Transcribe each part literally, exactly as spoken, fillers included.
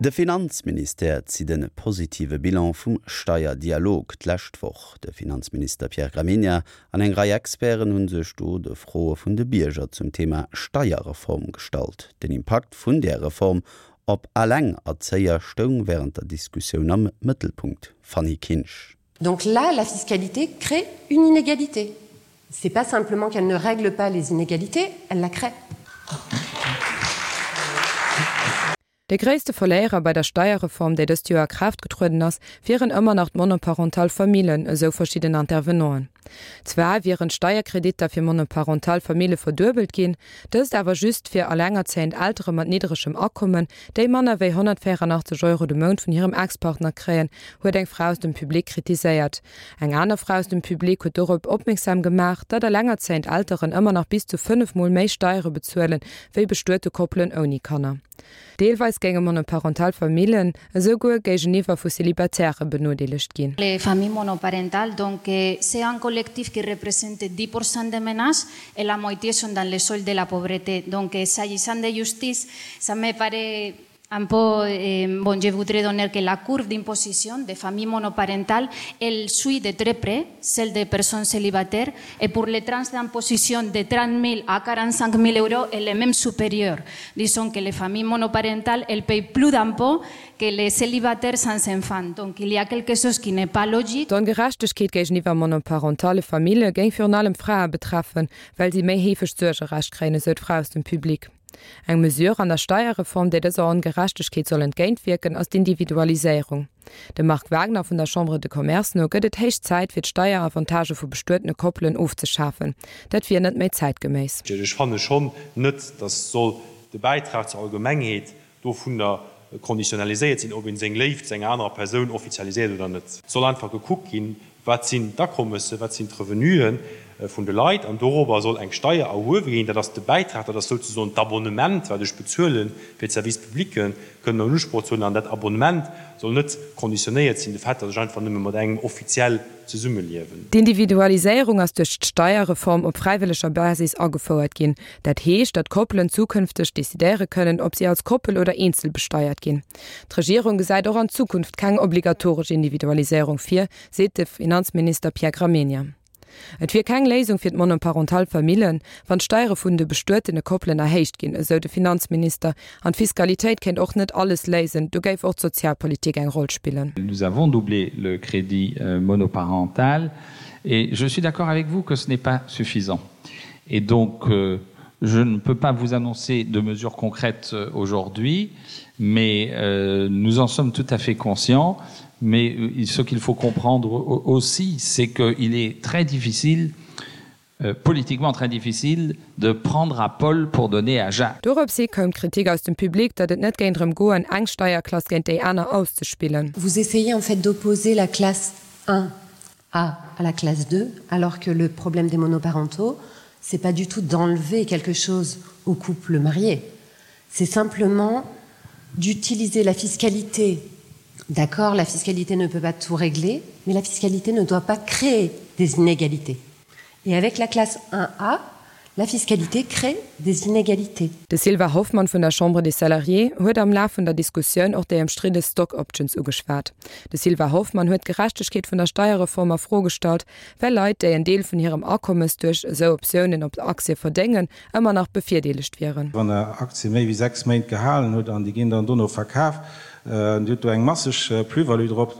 De Finanzministère zitt e positive Bilan vum Steierdialog d'lescht Woch. De Finanzminister Pierre Gramegna an eng Rei Experten hunn sech do de Froe vun de Bierger zum Thema Steierreform gestallt. Den Impakt vun der Reform op Allengerzéier stoung wärend der Diskussioun am Mëttelpunkt. Fanny Kinsch. Donc là, la fiscalité crée une inégalité. C'est pas simplement qu'elle ne règle pas les inégalités, elle la crée. De gréisste Verléierer bei der Steierreform, déi dëst Joer a Kraaft getrueden ass, wieren ëmmer nach d'monoparental Famillen, esou verschidden Intervenanten. Zwar wieren d'Steierkreditter fir monoparental Famille verduebelt ginn, dëst awer just fir allengerzéiend Eltere mat niddregem Akommen, déi manner wéi honnertvéieranachtzeg Euro de Mount vun hirem Ex-Partner kréien, huet eng Fra aus dem Public kritiséiert. Eng aner Fra aus dem Public huet dorop opmierksam gemaach, datt allengerzéiend Elteren ëmmer nach bis zu fënnef Mol méi Steiere bezuelen, wéi bestuete Koppelen ouni Kanner. Deelweis géinge monoparental Famillen esouguer géigeniwwer vu Célibatairë benodeelegt ginn. Les familles monoparentales, donc c'est un collectif qui représente dix pour cent des ménages et la moitié sont dans le seuil de la pauvreté. Donc s'agissant de justice, ça me paraît un peu, bon, je voudrais donner que la courbe d'imposition des familles monoparentales, elle suit de très près celle des personnes célibataires et pour les tranches d'imposition de trente mille à quarante-cinq mille euros, elle est même supérieure. Disons que les familles monoparentales, elles payent plus d'impôts que les célibataires sans enfants. Donc il y a quelque chose qui n'est pas logique. D'Ongerechtegkeet géigeniwwer monoparentale Famille géing virun allem Frae betreffen, well si méi heefeg d'Suergerecht kréien, esou d'Fra aus dem Public. Eng Mesure an der Steierreform, déi dëser Ongerechtegkeet soll entgéintwierken, ass d'Individualiséierung. Dem Marc Wagner vun der Chambre de Commerce no gëtt et héich Zäit, fir d'Steieravantage vu bestuetene Koppelen ofzeschafen. Dat wier net méi zäitgeméiss. Ech fanne schonn net, datt soll de Bäitrag zur Allgemengheet dovunner konditionaliséiert sinn, ob een seng Léift zu enger anerer Persoun offizialiséiert oder net. Et soll einfach gekuckt ginn, wat sinn d'Akommesse, wat sinn d'Revenuen vun de Leit, an dorobber soll eng Steier erhuewe ginn. Dat ass de Bäitrag, dat ass souzesoen d'Abonnement, wat ech bezuelen, fir d'Services publics kënnen an Usproch ze huelen. An dat Abonnement soll net konditionéiert sinn, de Fait, datt ech einfach nëmme mat engem offiziell zesummeliewen. D'Individualiséierung ass duerch d'Steierreform op fräiwëlleger Basis agefouert ginn. Dat heescht, datt Koppelen zukünfteg decidéiere kënnen, ob si als Koppel oder eenzel besteiert ginn. D'Regierung gesäit och an Zukunft keng obligatoresch Individualiséierung vir, seet de Finanzminister Pierre Gramegna. Et wier keng Léisung fir d'monoparental Famillen, wann d'Steiere vun de bestuetene Koppelen erhéicht ginn, esou de Finanzminister. An d'Fiskalitéit kéint och net alles léisen, do géif och d'Sozialpolitik eng Roll spillen. Nous avons doublé le crédit monoparental et je suis d'accord avec vous que ce n'est pas suffisant. Et donc, je ne peux pas vous annoncer de mesures concrètes aujourd'hui, mais nous en sommes tout à fait conscients. Mais ce qu'il faut comprendre aussi, c'est qu'il est très difficile, euh, politiquement très difficile, de prendre à Paul pour donner à Jacques. Doropshi koum d'Kritik aus dem Public, datt et net géing drëm goen, eng Steierklass géint déi aner auszespillen. Vous essayez en fait d'opposer la classe un A à la classe deux, alors que le problème des monoparentaux, c'est pas du tout d'enlever quelque chose au couple marié. C'est simplement d'utiliser la fiscalité. D'accord, la fiscalité ne peut pas tout régler, mais la fiscalité ne doit pas créer des inégalités. Et avec la classe un A, la fiscalité crée des inégalités. De Sylvain Hoffmann vun der Chambre des Salariés huet am Laf vun der Diskussioun och déi ëmstridde Stock Options ugeschwat. De Sylvain Hoffmann huet d'Gerechtegkeet vun der Steierreform a Fro gestallt, well Leit, déi en Deel vun hirem Akommes duerch esou Optiounen op Aktie verdéngen, ëmmer nach bevirdeelegt wieren. Wann Der Aktie méi wéi sechs Méint gehalen hutt an déi ginn dann dono verkaf, Dir hutt do eng masseg Plus-value drop,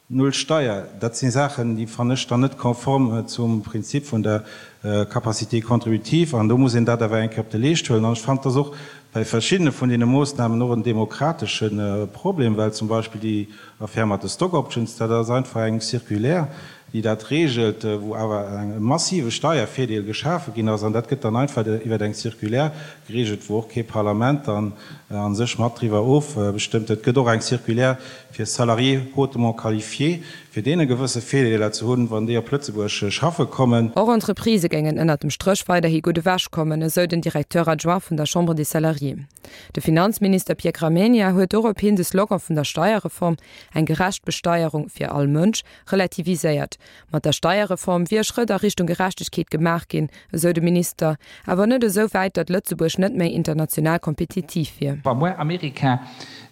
null Steier. Dat si Saachen, déi fannen ech dann net konform zum Prinzip vun der Capacité contributive. An do muss een dat awer eng Kéier op de Leescht huelen. An ech fannen, et ass och bei verschiddene vun deene Moossnamen och en demokratesche Problem, well zum Beispill déi Affär mat de Stock Options, dat ass einfach eng Circulaire, déi dat regelt, wou awer e massive Steiervirdeel geschafe ginn ass. An dat gëtt dann einfach iwwer eng Circulaire geregelt, wou och kee Parlament dann a sech mat driwwer ofbestëmmt. Et gëtt och eng Circulaire fir Salariés hautement qualifiés, fir deene gewësse Virdeeler ze hunn, wann déi op Lëtzebuerg schaffe kommen. Och Entreprisë géingen ënnert dem Stréch weiderhi gutt ewech kommen, esou den Directeur adjoint vun der Chambre des Salariés. De Finanzminister Pierre Gramegna huet dorop hin de Slogan vun der Steierreform, eng gerecht Besteierung fir all Mënsch, relativiséiert. Mat der Steierreform wier e Schrëtt a Richtung Gerechtegkeet gemaach ginn, esou de Minister, awer net esou wäit, datt Lëtzebuerg net méi international kompetitiv wier. Wa muer Amerika,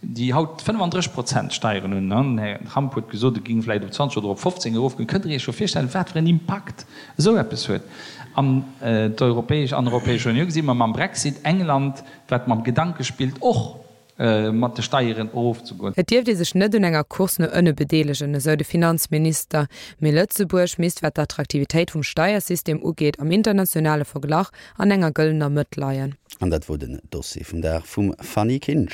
déi haut fënnefandrësseg Prozent Steieren hunn, den Här Trump huet gesot, et géing vläicht op zwanzeg oder op fofzéng erofgoen, kënnt Der Iech scho virstellen, wat fir en Impakt esou eppes huet. An d'Europäesch, an der Europäescher Unioun gesi mer mam Brexit England, wat mam Gedanke spillt, och mat de Steieren erofzegoen. Et dierft ee sech net un enger Course no ënne bedeelegen, esou de Finanzminister, mee Lëtzebuerg misst, wat d'Attraktivitéit vum Steiersystem ugeet, am internationale Verglach an enger gëllener Mëtt leien. An dat wor den Dossier vum Dag vum Fanny Kinsch.